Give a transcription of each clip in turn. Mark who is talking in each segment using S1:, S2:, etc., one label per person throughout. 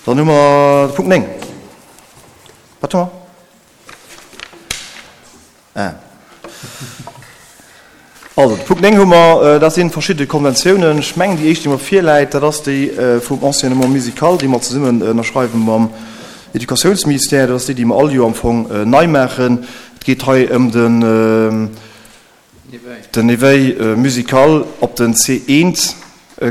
S1: Dann hu mer de Punkt 9. Wat hu mer? Ah. Also, de Punkt 9 hu mer, dat si verschidde Konventiounen. Ech mengen, déi éischt, déi mer virläit, dat ass déi vum Enseignement musical, déi mer zesummen ënnerschreiwe mam Educatiounsministère. Dat ass déi, déi mer all Joer am Fong nei maachen. Et geet hei ëm den. Den Éveil musical op den C1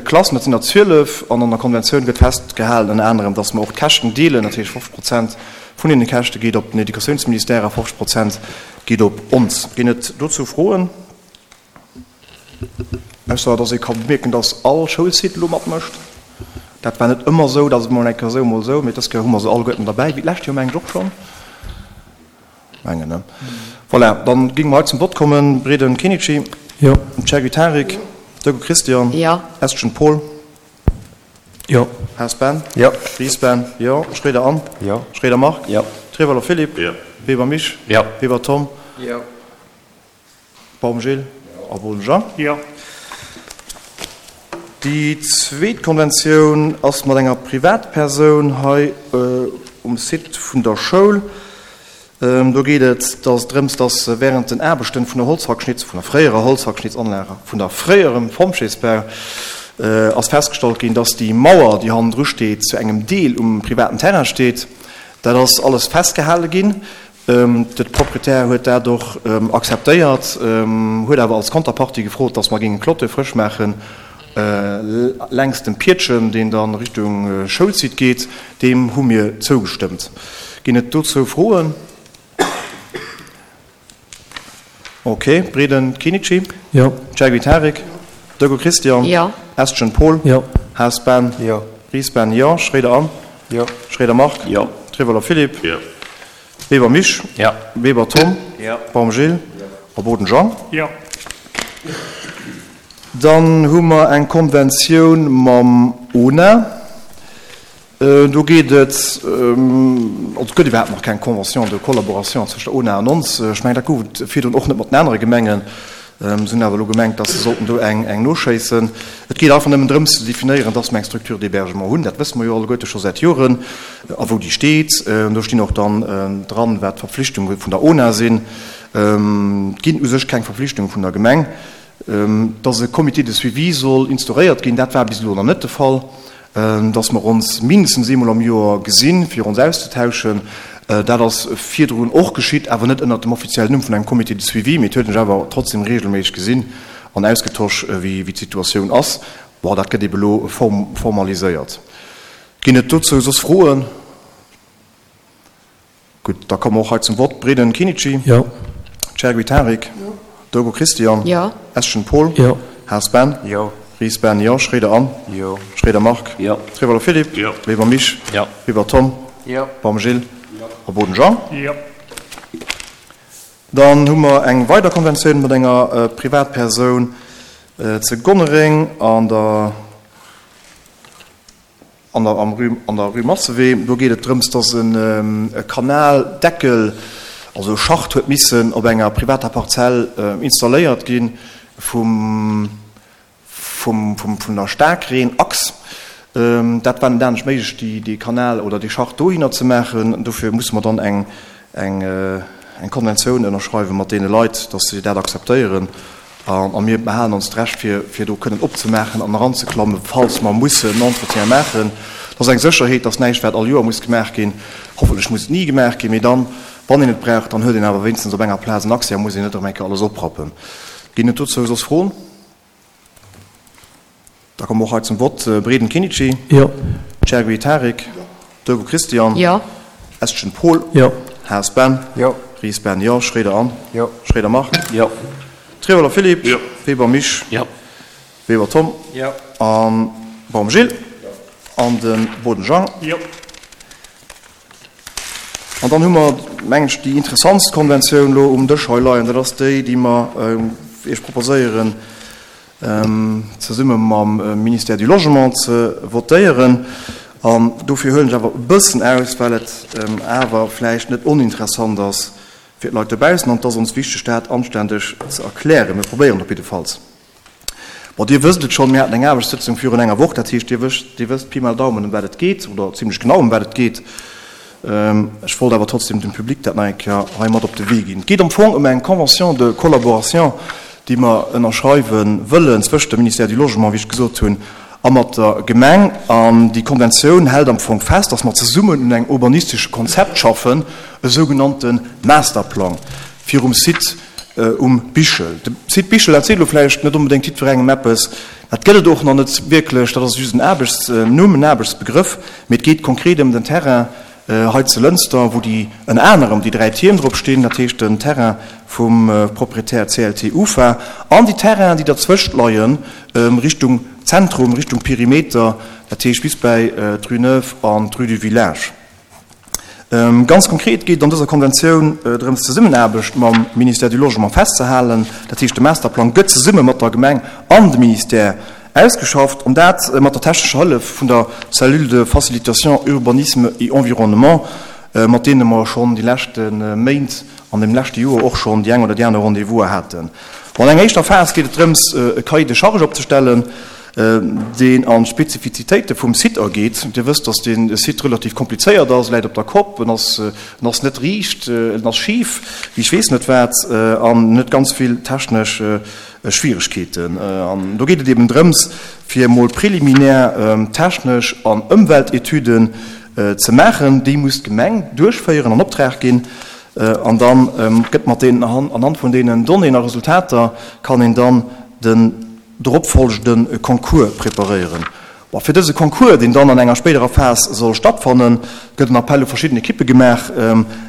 S1: Klassen, dat sinn der 12, an an der Konventioun gëtt festgehalen ënner anerem, datt mer och d'Käschten deelen, dat heescht 50 Prozent vun deene Käschte geet op den Educatiounsministère a 50 Prozent geet op ons. Ginn et dozou Froen? Ausser datt ee ka bemierken, datt all Schoulsite elo matmécht. Dat war net ëmmer esou, dat ass mol eng Kéier esou, mol esou, mee dës Kéier hu mer se alleguerten derbäi, wéi d'lescht Joer mengen ech och schonn. Mengen, ne? Voilà, dann géinge mer hei zum Vott kommen. Breden Kenichi.
S2: Jo.
S1: Chergui Tarik. Dögel Christian.
S3: Jo.
S1: Estgen Paul.
S2: Jo.
S1: Haas Ben.
S2: Jo.
S1: Ries Ben. Jo. Schroeder Anne.
S2: Jo.
S1: Schroeder Marc.
S2: Jo.
S1: Trewalo Philippe.
S4: Jo.
S1: Weber Misch.
S2: Jo.
S1: Weber Tom.
S2: Jo.
S1: Baum Gilles a Boden Jean.
S2: Jo.
S1: Déi zweet Konventioun ass mat enger Privatpersoun hei um Site vun der Schoul. Do geet et dass drëms, dass während den Aarbechten vun der Holzhackschnitz, vun der fréierer Holzhackschnitzanlag, vun der fréierem Pompjeesbau, ass festgestallt ginn, dass déi Mauer, déi hannendru steet, zu engem Deel um privaten Terrain steet. Dat ass alles festgehale ginn. De Proprietär huet dat och akzeptéiert, huet awer als Konterpartie gefrot, datt mer géingen d'Clôture frësch maachen längs dem Piedchen, deen da Richtung Schoulsite geet. Deem hu mir zougestëmmt. Ginn et dozou Froen? Ok, Breden Kenichi?
S2: Jo.
S1: Chergui Tarik? Dögel Christian?
S3: Jo.
S1: Estgen Paul?
S2: Jo.
S1: Haas Ben?
S2: Jo.
S1: Ries Ben? Jo. Schroeder Anne?
S2: Jo.
S1: Schroeder Marc?
S2: Jo.
S1: Trewolo Philippe?
S4: Jo.
S1: Weber Misch?
S2: Jo.
S1: Weber Tom?
S2: Jo.
S1: Baum Gilles?
S2: Jo.
S1: A Boden Jean?
S2: Jo.
S1: Dann hu mer eng Konventioun mam ona. Do geet et, also et gëtt iwwerhaapt nach keng Convention de collaboration zwëscht der ona an ons. Ech mengen, dat gouf et virdrun och net mat den anere Gemengen. Se hunn awer elo gemengt, dass se sollten do eng eng noschéissen. Et geet einfach nëmmen drëms ze definéieren, dass mer eng Structure d'hébergement hunn. Dat wësse mer jo alleguerte scho säit Joren. A wou déi steet. Do stinn och dann dran, wat d'Verpflichtunge vun der ona sinn. Et ginn u sech keng Verpflichtunge vun der Gemeng. Dass e Comité de suivi soll instauréiert ginn, dat war bis elo nach net de Fall. Dass mer ons mindestens eemol am Joer gesinn, fir ons auszetauschen, dat ass virdrun och geschitt, awer net ënnert dem offiziellen Numm vun engem Comité de suivi, mee et huet een sech awer trotzdem regelméisseg gesinn an ausgetosch, wéi d'Situatioun ass. Bon, dat gëtt ebe elo formaliséiert. Ginn et dozou soss Froen? Gutt, da komme mer och hei zum Vott. Breden Kenichi.
S2: Jo.
S1: Chergui Tarik.
S3: Jo.
S1: Dogo Christian.
S3: Jo.
S1: Eschen Paul.
S2: Jo.
S1: Haas Ben.
S2: Jo.
S1: Ries Ben, jo. Schroeder Anne.
S2: Jo.
S1: Schroeder Marc.
S2: Jo.
S1: Trewalo Philippe.
S4: Jo.
S1: Weber Misch.
S2: Jo.
S1: Weber Tom.
S2: Jo.
S1: Baum Gilles. Jo. A Boden Jean.
S2: Jo.
S1: Dann hu mer eng weider Konventioun mat enger Privatpersoun ze Gonnereng an der. An der am Rue, an der Rue Massewee, do geet et drëms, dass en e Kanaldeckel, also e Schacht huet missen op enger privater Parzell installéiert gi vum, vum, vum, vun der Staarkreen-Achs. Dat war net anescht méiglech, déi, dee Kanal oder dee Schacht dohinner ze maachen. Dofir musse mer dann eng, eng, eng Konventioun ënnerschreiwe mat deene Leit, dass si dat akzeptéieren. A mir behalen ons d'Recht, fir, fir do kënnen opzemaachen an eranzeklammen, falls mer mussen en Entretien maachen. Dat ass eng Sécherheet, dass näischt, wat all Joer muss gemaach ginn, hoffentlech muss et ni gemaach ginn, mee dann, wann een et brauch, dann huet een awer wéinstens op enger Plaz en Accès a muss een net erëm eng Kéier alles oprappen. Ginn et dozou soss Froen? Da komme mer och hei zum Vott. Breden Kenichi.
S2: Jo.
S1: Chergui Tarik.
S3: Jo.
S1: Dogo Christian.
S3: Jo.
S1: Estgen Paul.
S2: Jo.
S1: Haas Ben.
S2: Jo.
S1: Ries Ben, jo. Schroeder Anne.
S2: Jo.
S1: Schroeder Marc.
S2: Jo.
S1: Trewelo Philippe.
S4: Jo.
S1: Weber Misch.
S2: Jo.
S1: Weber Tom.
S2: Jo.
S1: A Baum Gilles.
S2: Jo.
S1: An de Boden Jean.
S2: Jo.
S1: An dann hu mer, mengen ech, déi interessantst Konventioun elo um Dësch hei leien. Dat ass déi, déi mer Iech proposéieren, zesumme mam Ministère du Logement ze votéieren. An dofir huelen ech awer e bëssen aus, well et awer vläicht net oninteressant ass fir d'Leit dobaussen. An et ass ons wichteg, dat anständeg ze erklären. Mir probéieren et op jiddefalls. Bon, Dir wësst et schonn, mir haten eng Aarbechtssëtzung virun enger Woch, dat heescht, Dir wësst, Dir wësst Pi mal Daumen, ëm wat et geet, oder zimlech genau, ëm wat et geet. Ech wollt awer trotzdem dem Public dat nach eng Kéier hei mat op de Wee ginn. Et geet am Fong ëm eng Convention de collaboration, déi mer ënnerschreiwe wëllen zwëscht dem Ministère du Logement, wéi ech gesot hunn, a mat der Gemeng. An déi Konventioun hält am Fong fest, dass mer zesummen un engem urbanistesche Konzept schaffen, e sougenannte Masterplang virum Site um Bichel. De Site Bichel, dat seet elo vläicht net onbedéngt jiddwerengem eppes, dat gëtt et och nach net wierklech, dat ass just en Aarbechtsnumm, en Aarbechtsbegrëff, mee et geet konkret ëm den Terrain hei zu Lënster, wou déi ënner anerem déi 3 Tierm drop stinn, dat heescht den Terrain vum Proprietär CLT UFA an déi Terrainen, déi derzwëscht leien, Richtung Zentrum, Richtung Perimeter, dat heescht bis bäi d'Rue Neuve an d'Rue du Village. Ganz konkret geet et an dëser Konventioun drëms, d'Zesummenaarbecht mam Ministère du Logement festzehalen. Dat heescht, de Masterplang gëtt zesumme mat der Gemeng an dem Ministère ausgeschafft, an dat mat der technescher Hëllef vun der Cellule de facilitation urbanisme et environnement, mat deene mer schonn déi leschte Méint an dem leschte Joer och schonn déi eng oder déi aner Rendez-vouser haten. An enger éischter Phas geet et drëms, e Cahier de charges opzestellen, deen an d'Spezifizitéite vum Site ageet. Dir wësst, dass dee Site relativ komplizéiert ass, e läit op der Kopp, en ass, en ass net riicht, en ass schif, wéi ech weess net wat, an en huet ganz vill technesch Schwieregkeeten. An do geet et eben drëms, fir emol préliminaire technesch an Ëmweltetüden ze maachen. Déi muss d'Gemeng duerchféieren, an Optrag ginn. An da gëtt mat deenen, anhand vun deenen Donnéeën a Resultater kann een dann den drop folgende Concours preparéieren. Bon, fir dëse Concours, deen dann an enger spéiderer Phas soll stattfannen, gëtt en Appell u verschidden Ekippe gemaach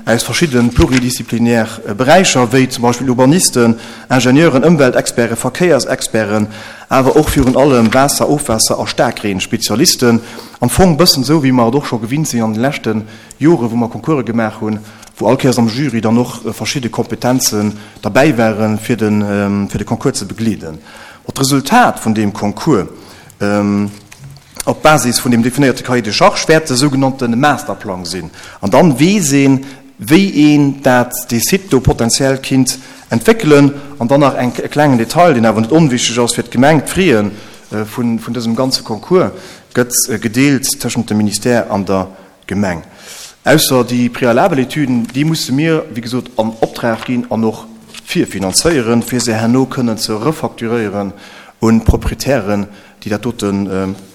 S1: aus verschidde pluridisziplinär Beräicher, wéi zum Beispill Urbanisten, Ingenieuren, Ëmweltexperten, Verkéiersexperten, awer och virun allem Waasser-, Ofwaasser a Staarkreen-Spezialisten. Am Fong bëssen esou, wéi mer et och scho gewinnt sinn an de leschte Jore wou mer Concourse gemaach hunn, wou all Kéiers am Jury dann och verschidde Kompetenzen derbäi waren, fir de fir de Concours ze begleeden. Bon, d'Resultat vun deem Concours op Basis vun deem definéierte Cahier de charges wäert de sougenannte Masterplang sinn. An dann weess een, wéi een dat, dee Site do potenziell kinnt entwéckelen. An dann nach eng e klengen Detail, deen awer net onwichtig ass fir d'Gemeng, D'Fraie vun vun dësem ganze Concours gëtt gedeelt tëschent dem Ministère an der Gemeng. Ausser déi préalabel Etüden, déi musse mir, wéi gesot, an Optrag ginn an och virfinanzéieren, fir se herno kënnen ze refacturéieren un d'Proprietären, déi dat dote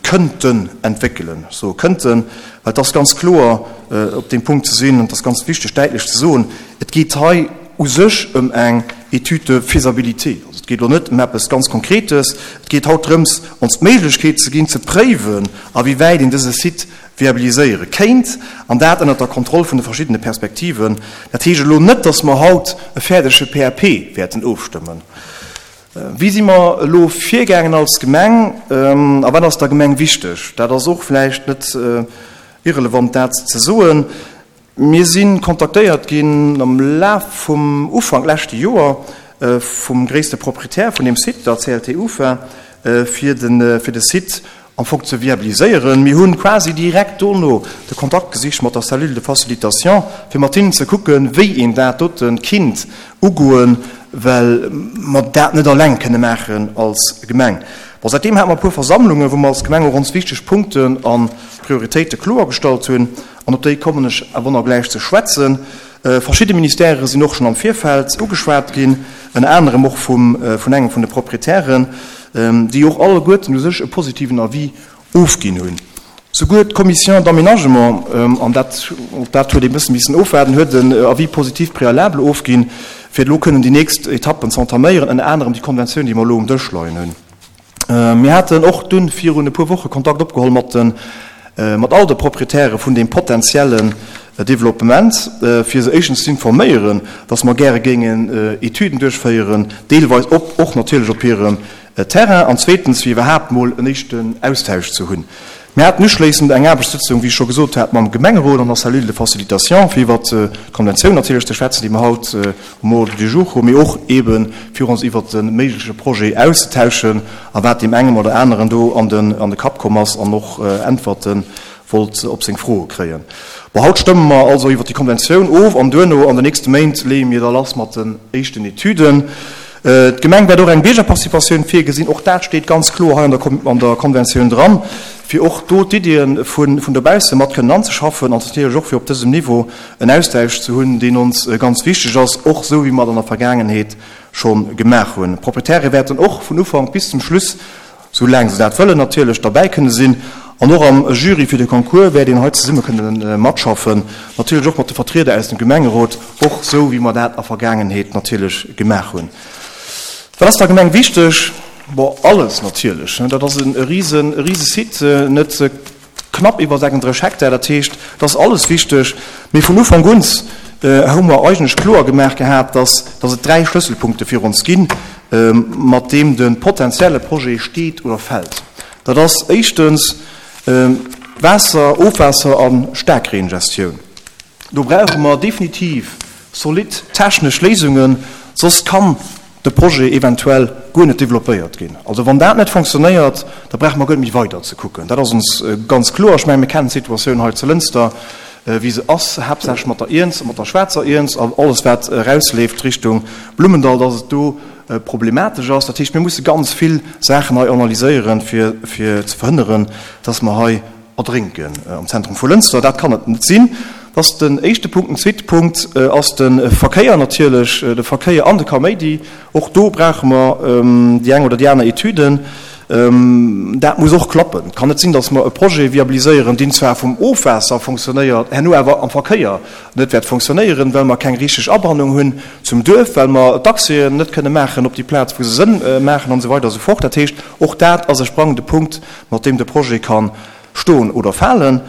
S1: kënnten entwéckelen. Ech soe kënnten, well et ass ganz kloer op deem Punkt ze sinn, an et ass ganz wichteg däitlech ze soen, et geet hei u sech ëm eng Étude de faisabilité. Also et geet elo net ëm eppes ganz Konkretes, et geet haut drëms, ons d'Méiglechkeet ze ginn, ze préiwen, awéiwäit een dëse Site viabiliséiere kéint, an dat ënnert der Kontroll vun de verschiddene Perspektiven. Dat heescht elo net, dass mer haut e fäerdege PAP wäerten ofstëmmen. Wéi si mer elo virgaangen als Gemeng a wat ass der Gemeng wichteg? Dat ass och vläicht net irrelevant, dat ze soen. Mir si kontaktéiert ginn am Laf vum Ufank leschte Joer vum gréisste Proprietär vun deem Site, der CLT UFA, fir de Site am Fong ze viabiliséieren. Mir hu quasi direkt dono de Kontakt gesicht mat der Cellule de facilitation, fir mat hinnen ze kucken, wéi een dat dote kinnt ugoen, well mer dat net alleng kënne maachen als Gemeng. Bon, säitdeem hate mer e puer Versammlungen, wou mer als Gemeng och ons wichteg Punkten a Prioritéite kloergestallt hunn. An op déi kommen ech awer nach gläich ze schwätzen. Verschidde Ministèrë sinn och schonn am Virfeld ugeschwat ginn, ënner anerem och vum, vun engem vun de Proprietären, déi och alleguerten u sech e positiven Avis ofginn hunn. Souguer d'Commission d'aménagement, an dat, och dat huet ee bësse missen ofwaarden, huet en Avis positif préalable ofginn, fir elo kënnen déi nächst Etappen ze entaméieren, ënner anerem déi Konventioun, déi mer elo um Dësch leien hunn. Mir haten och dunn virun e puer Woche Kontakt opgeholl mat de mat all de Proprietäre vun deem potenziellen Developpement, fir se éischtens z'informéieren, dass mer gäre géingen Etüden duerchféieren, deelweis op och natierlech op hirem Terrain, an zweetens fir iwwerhaapt mol en éischten Austausch ze hunn. Mir haten uschléissend eng Aarbechtssëtzung, wéi ech scho gesot hat, mam Gemengerot an der Cellule de facilitation, fir iwwert d'Konventioun natierlech ze schwätzen, déi mer haut um Ordre du jour hunn, mee och eebe fir ons iwwert de méigleche Projet auszetauschen a wat deem engem oder aneren do an de Kapp komm ass an och Äntwerte wollt op seng Froe kréien. Bon, haut stëmme mer also iwwert déi Konventioun of an duerno an den nächste Méint leeë mir da lass mat den éischten Etüden. D'Gemeng wäert och eng Biergerparticipatioun virgesinn, och dat steet ganz kloer hei an der Konventioun dran, fir och do d'Iddien vun dobausse mat kënnen anzeschaffen an natierlech och fir op dësem Niveau en Austausch ze hunn, deen ons ganz wichteg ass, och esou wéi mer et an der Vergaangenheet scho gemaach hunn. D'Proprietäre wäerten och vun Ufank bis zum Schluss sou laang se dat wëllen natierlech, derbäi kënne sinn. An och am Jury fir de Concours wäert een hei zesumme kënne matschaffen, natierlech och mat de Vertrieder aus dem Gemengerot, och sou wéi mer dat a Vergaangenheet natierlech gemaach hunn. Wat ass der Gemeng wichteg? Bon, alles natierlech. Dat ass e rise, e rise Site, net Knapp iwwer 36 Hektar, dat heescht, et ass alles wichteg. Mee vun Ufank un hu mer eigentlech kloer gemaach gehat, dass dass et dräi Schlësselpunkte fir ons ginn, mat deem de potenzielle Projet steet oder fält. Dat ass éischtens d'Waasser-, Ofwaasser a Staarkreengestioun. Do brauche mer definitiv zolidd technesch Léisungen, soss kann de Projet eventuell guer net développéiert ginn. Also wann dat net fonctionnéiert, da brauche mer guer net méi weider ze kucken. Dat ass ons ganz kloer. Ech mengen, mir kennen d'Situatioun hei zu Lënster, wéi se ass, haaptsächlech mat der Iernz, mat der schwaarzer Iernz an alles wat erausleeft Richtung Blummendall, dass et do problematesch ass. Dat heescht, mir musse ganz vill Saachen hei analyséieren, fir ze verhënneren, dass mer hei erdrénken am Zentrum vu Lënster. Dat kann et net sinn. Dat ass den éischte Punkt. Den zweete Punkt ass de Verkéier natierlech, de Verkéier an de Kaméidi. Och do brauche mer déi eng oder déi aner Etüden. Dat muss och klappen. Et kann net sinn, datt mer e Projet viabiliséieren, deen zwar vum Ofwaasser fonctionnéiert, herno awer am Verkéier net wäert fonctionnéieren, well mer keng richteg Abannung hunn zum Duerf, well mer d'Accèsen net kënne maachen op déi Plaz, wou se Sënn maachen an esou weider a sou fort. Dat heescht, och dat ass e sprangende Punkt, mat deem de Projet ka stoen oder falen.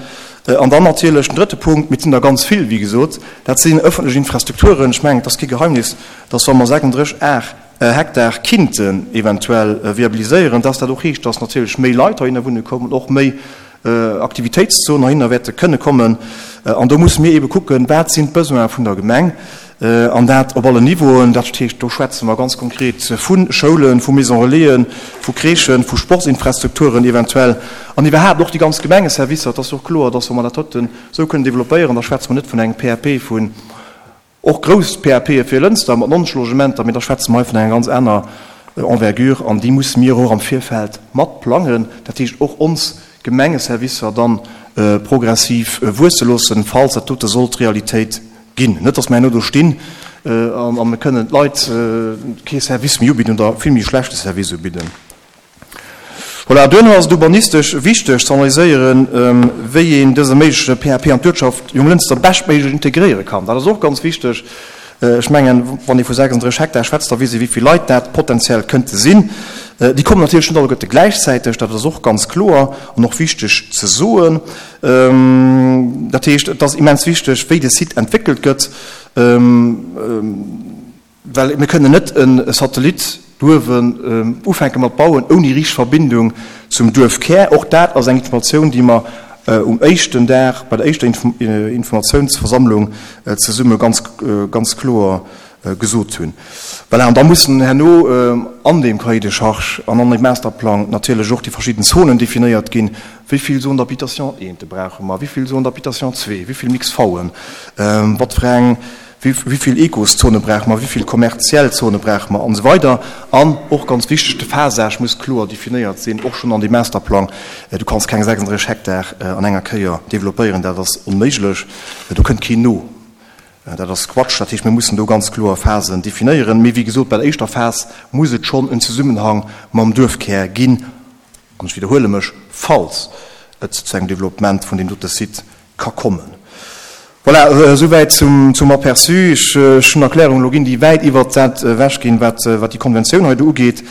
S1: An dann natierlech den drëtte Punkt, mee et sinn der ganz vill, wéi gesot, dat sinn ëffentlech Infrastrukturen. Ech mengen, et ass kee Geheimnis, dass wa mer 36 Ar Hektar kinnten eventuell viabiliséieren, dass dat och heescht, dass natierlech méi Leit heihinner wunne kommen, och méi Aktivitéitszonen heihinner wäerte kënne kommen. An do musse mir eebe kucken, wat sinn d'Besoine vun der Gemeng, An dat op allen Niveauen. Dat heescht, do schwätze mer ganz konkret vu Schoulen, vu Maison relaisen, vu Crèchen, vu Sportsinfrastrukturen eventuell an iwwerhaapt och déi ganz Gemengeservicer. Et ass jo och kloer, dass, wa mer dat doten esou kënnen developpéieren, da schwätze mer net vun engem PAP vun, och grouss PAPe fir Lënster mat 90 Logementer, mee da schwätze mer hei vun enger ganz aner Envergure an déi musse mir och am Virfeld mat plangen. Dat heescht, och ons Gemengeservicer dann progressiv wuesse loossen, falls dat dote sollt Realitéit Ginn. Net, dass mer herno do stinn a mir kënnen d'Leit kee Service méi ubidden oder vill méi schlechte Service ubidden. Voilà, duerno ass et urbanistesch wichteg ze analyséieren, wéi een dëse méigleche PAP an d'Uertschaft Jonglënster beschtméiglech integréiere kann. Dat ass och ganz wichteg. Ech mengen, wann ee vu 36 Hektar schwätzt, da weess ee wéi vill Leit dat potenziell kënnte sinn. Déi kommen natierlech net alleguerte gläichzäiteg, dat ass och ganz kloer an och wichteg ze soen. Dat heescht, et ass immens wichteg, wéi de Site entwéckelt gëtt, well mir kënnen net e Satellit douewen ufänke mat bauen, ouni richteg Verbindung zum Duerfkär. Och dat ass eng Informatioun, déi mer um éischten Dag bei der éischter Informatiounsversammlung zesumme ganz, ganz kloer gesot hunn. Voilà, an da mussen herno an deem Cahier de charges an an dem Masterplang natierlech och déi verschidden Zonen definéiert ginn, Wéi vill Zones d'habitation eente brauche mer, wéi vill Zones d'habitation zwee, wéi vill Mix-V'en, wat fir eng, wéi vill Ecoszone brauche mer, wéi vill kommerziell Zone brauche mer an esou weider. An och ganz wichteg, de Phasage muss kloer definéiert sinn, och schonn an deem Masterplang. Du kanns keng 36 Hektar an enger Kéier developpéieren, dat ass onméiglech, do kënnt keen no. Dat ass Quatsch. Dat heescht, mir mussen do ganz kloer Phasen definéieren. Mee wéi gesot, bei der éischter Phas muss et schonn en Zesummenhang mam Duerfkär ginn, an ech widderhuele mech, falls et zu engem Developpement vun deem dote Site ka kommen. Voilà, esouwäit zum Aperçu. Ech hunn Erklärungen elo ginn, déi wäit iwwert dat ewechginn, wat déi Konventioun hei do ugeet.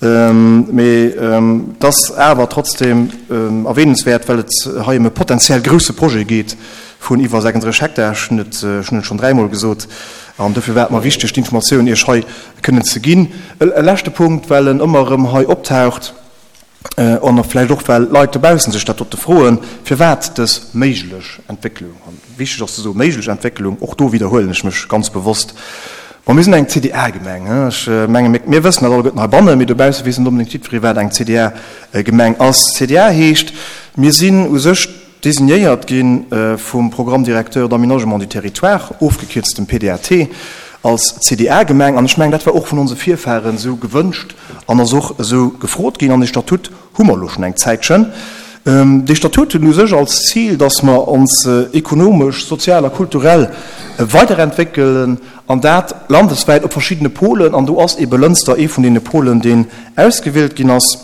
S1: Mee et ass awer trotzdem erwähnenswäert, well et hei ëm e potenziell grousse Projet geet vun iwwer 36 Hektar. Ech hunn et schonn dräimol gesot. An dofir war et mer wichteg, d'Informatioun Iech hei kënnen ze ginn. E leschte Punkt, well en ëmmer erëm hei optaucht, An vläicht och, well d'Leit dobaussen sech dat dote froen, firwat dës méiglech Entwécklung. An wichteg ass ze soen, méiglech Entwécklung, och do widderhuelen ech mech ganz bewosst. Bon, mir sinn eng CDA-Gemeng. Ech menge mir wëssen dat alleguerten heibannen, mee dobausse weess net onbedéngt jiddweree, wat eng CDA-Gemeng ass. CDA heescht, mir sinn u sech designéiert gi vum Programme directeur d'aménagement du territoire, ofgekierzt dem PDAT. Als CDA-Gemeng, an ech mengen, dat war och vun onse Virfahren esou gewënscht an ass och esou gefrot ginn, an dee Statut hu mer elo schonn eng Zäitchen. Dee Statut huet u sech als Zil, dass mer ons ekonomesch, sozial a kulturell weiderentwéckelen, an dat landeswäit op verschiddene Polen. An do ass eebe Lënster ee vun deene Polen, deen ausgewielt ginn ass.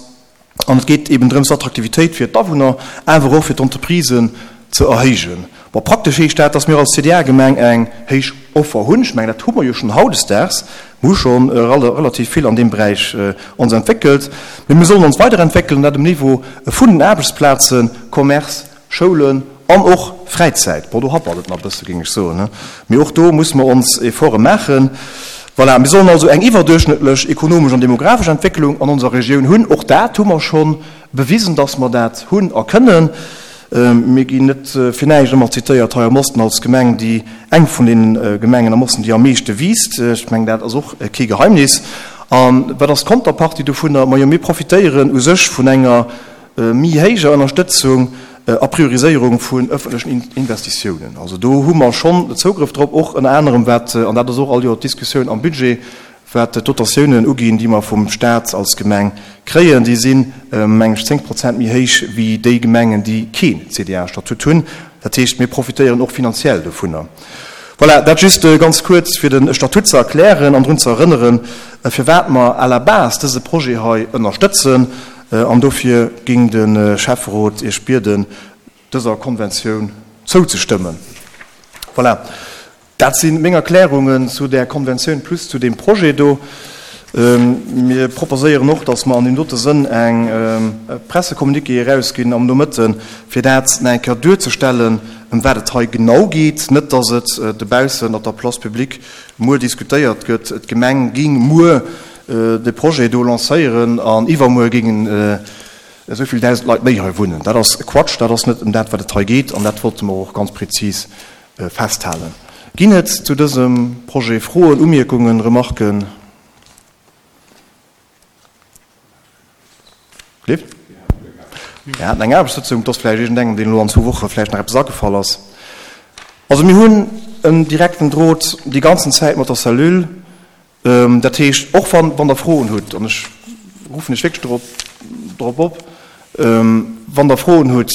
S1: An et geet eben drëms, d'Attraktivitéit fir d'Awunner, awer och fir d'Entreprisen ze erhéijen. Bon, praktesch heescht dat, dass mir als CDA-Gemeng eng héich Offer hunn. Ech mengen, dat hu mer jo schonn hautdesdaags. Mir hu scho relativ vill an deem Beräich ons entwéckelt. Mee mir sollen ons weiderentwéckelen, dat um Niveau vun den Aarbechtsplazen, Commerce, Schoulen an och Fräizäit. Bon, do happert et nach e bësse, géing ech soen, mee och do muss mer ons Efforte maachen. Voilà, mir sollen also eng iwwerduerchschnëttlech ekonomesch an demografesch Entwécklung an onser Regioun hunn. Och dat hu mer scho bewisen, dass mer dat hunn a kënnen. Mir ginn net fir näischt ëmmer zitéiert hei am Osten als Gemeng, déi eng vun deene Gemengen am Osten, déi am meeschte wiisst. Ech mengen, dat ass och kee Geheimnis. A wat ass d'Konterpartie dovunner? Majo, mir profitéieren u sech vun enger méi héijer Ënnerstëtzung a Prioriséierung vun ëffentlechen Investitiounen. Also do hu mer schonn Zougrëff drop, och ënner anerem wat, an dat ass och all Joer d'Diskussioun am Budget, wat d'Dotatiounen uginn, déi mer vum Stat als Gemeng kréien. Déi sinn, meng ech, 10 Prozent méi héich wéi déi Gemengen, déi keen CDA-Statut hunn. Dat heescht, mir profitéieren och finanziell dovunner. Voilà, dat just ganz kuerz, fir de Statut ze erklären an drun ze erënneren, firwat mer à la base dëse Projet hei ënnerstëtzen. An dofir géing de Schäfferot Iech bieden, dëser Konventioun zouzestëmmen. Voilà, dat si meng Erklärungen zu där Konventioun plus zu deem Projet do. Mir proposéieren och, dass mer an deem dote Sënn eng Pressecommuniqué erausginn am Nomëtten, fir dat nach eng Kéier duerzestellen, ëm wat et hei genau geet. Net, dass et dobaussen op der Place publique muer diskutéiert gëtt, d'Gemeng géing muer de Projet do lancéieren an iwwermuer géingen esou vill 1.000 Leit méi hei wunnen. Dat ass Quatsch, dat ass net ëm dat, wat et hei geet an dat wollte mer och ganz prezis festhalen. Ginn et zu dësem Projet Froen, Umierkungen, Remarken? Cliff? Mir haten eng Aarbechtssëtzung, et ass vläicht iergendengem, deen elo an zwou Woche vläicht nach eppes agefall ass. Also mir hunn en direkten Drot déi ganzen Zäit mat der Cellule. Dat heescht, och wann, wann Der Froen hutt, an ech ruffen lech wierklech dorop, dorop op, wann Der Froen hutt,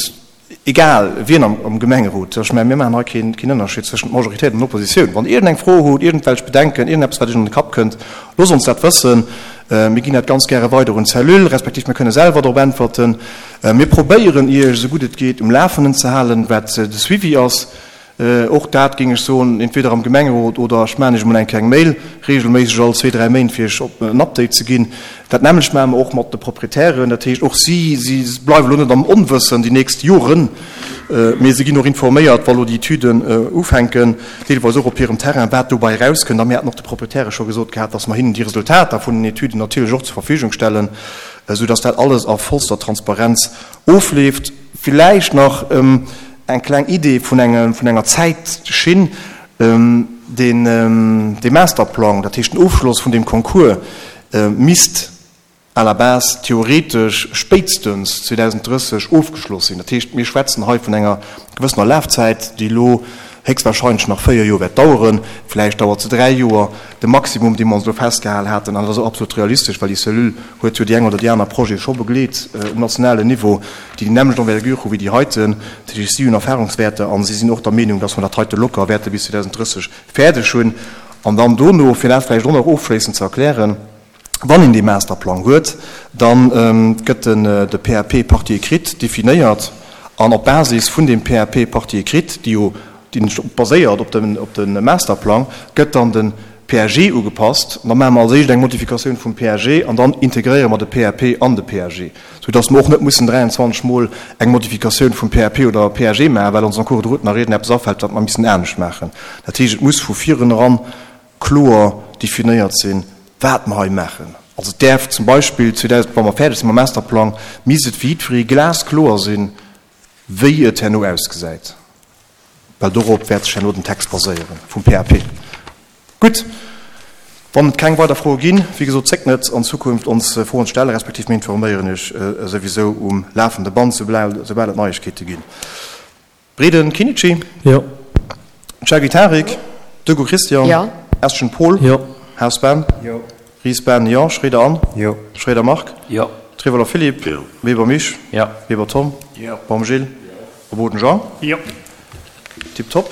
S1: egal wien am, am Gemengerot, ech mengen, mir maachen hei keen, keen Ënnerscheed zwëschent Majoritéit an Oppositioun, wann Der iergendeng Fro hutt, iergendwelch Bedenken, iergendeppes, wat Iech an de Kapp kënnt, loosst ons dat wëssen. Mir ginn dat ganz gäre weider un d'Cellule, respektiv mir kënne selwer drop äntwerten. Mir probéieren, Iech esou gutt et geet um Lafenden ze halen, wat de Suivi ass. Och dat géing ech soen, entweder am Gemengerot oder ech maachen Iech emol eng kleng Mail, regelméisseg all zwee, dräi Méint, fir Iech en Update ze ginn. Dat nämmlecht maache mer och mat de Proprietären. Dat heescht, och si, si bleiwen elo net am Onwëssen déi nächst Joren, mee si ginn och informéiert, wa lo déi Etüden ufänken, deelweis och op hirem Terrain, wat dobei erauskënnt. A mir haten och de Proprietäre scho gesot gehat, dass mer hinnen déi Resultater vun den Etüden natierlech och zur Verfügung stellen, soudass dat alles a vollster Transparenz ofleeft. Villäicht nach eng kleng Idee vun engem, vun enger Zäitschinn, Deen, dee Masterplang, dat heescht den Ofschloss vun deem Concours, misst à la base theoretesch spéitstens 2030 ofgeschloss sinn. Dat heescht, mir schwätzen hei vun enger gewëssener Lafzäit, déi elo héchstwahrscheinlech nach 4 Joer wäert daueren, vläicht dauert se 3 Joer, de Maximum, dee mer ons elo festgehal haten, an dat ass och absolut realistesch, well déi Cellule huet jo déi eng oder déi aner Projete scho begleet um nationalen Niveau, déi déi nämmlecht Envergure hu wéi déi heiten. Dat heescht, si hunn Erfahrungswäerter a si sinn och der Meenung, dass mer dat heite locker wäerte bis 2030 fäerdeg hunn. An dann dono, fir dat vläicht och nach ofschléissend ze erklären, Wann een dee Masterplang huet, da gëtt den de PAP Partie écrite definéiert an op Basis vun deem PAP Partie écrite, déi jo baséiert op dem op de Masterplang, gëtt dann de PAG ugepasst. An da maache mer als éischt eng Modifikatioun vum PAG an dann integréiere mer de PAP an de PAG, soudass mer och net mussen 23 Mol eng Modifikatioun vum PAP oder PAG maachen, well ons en cours de route nach iergendeppes afält, wat mer missen anescht maachen. Dat heescht, et muss vu vireneran kloer definéiert sinn, wat mer hei maachen. Also et däerf zum Beispill 2000, wa mer fäerdeg si mam Masterplang, misst et fir jiddweree glaskloer sinn, wéi et herno ausgesäit, well dorop wäert sech herno den Text baséiere vum PAP. Gutt, wann et keng weider Froe ginn, wéi gesot, zéckt net an Zukunft ons Froen ze stellen, respektiv mir informéieren Iech souwisou um lafende Band, soubal et Neiegkeete ginn. Breden Kinnici.
S2: Jo.
S1: Chergui Tarik. Degout Christian.
S3: Jo.
S1: Eschen Paul.
S2: Jo.
S1: Haas Ben.
S3: Jo.
S1: Ries Ben, jo. Schroeder Anne.
S3: Jo.
S1: Schroeder Marc.
S2: Jo.
S1: Trevoller Philippe.
S4: Jo.
S1: Weber Misch.
S2: Jo.
S1: Weber Tom.
S3: Jo.
S1: Baum Gilles.
S3: Jo.
S1: A Boden Jean.
S3: Jo.
S1: Tiptop.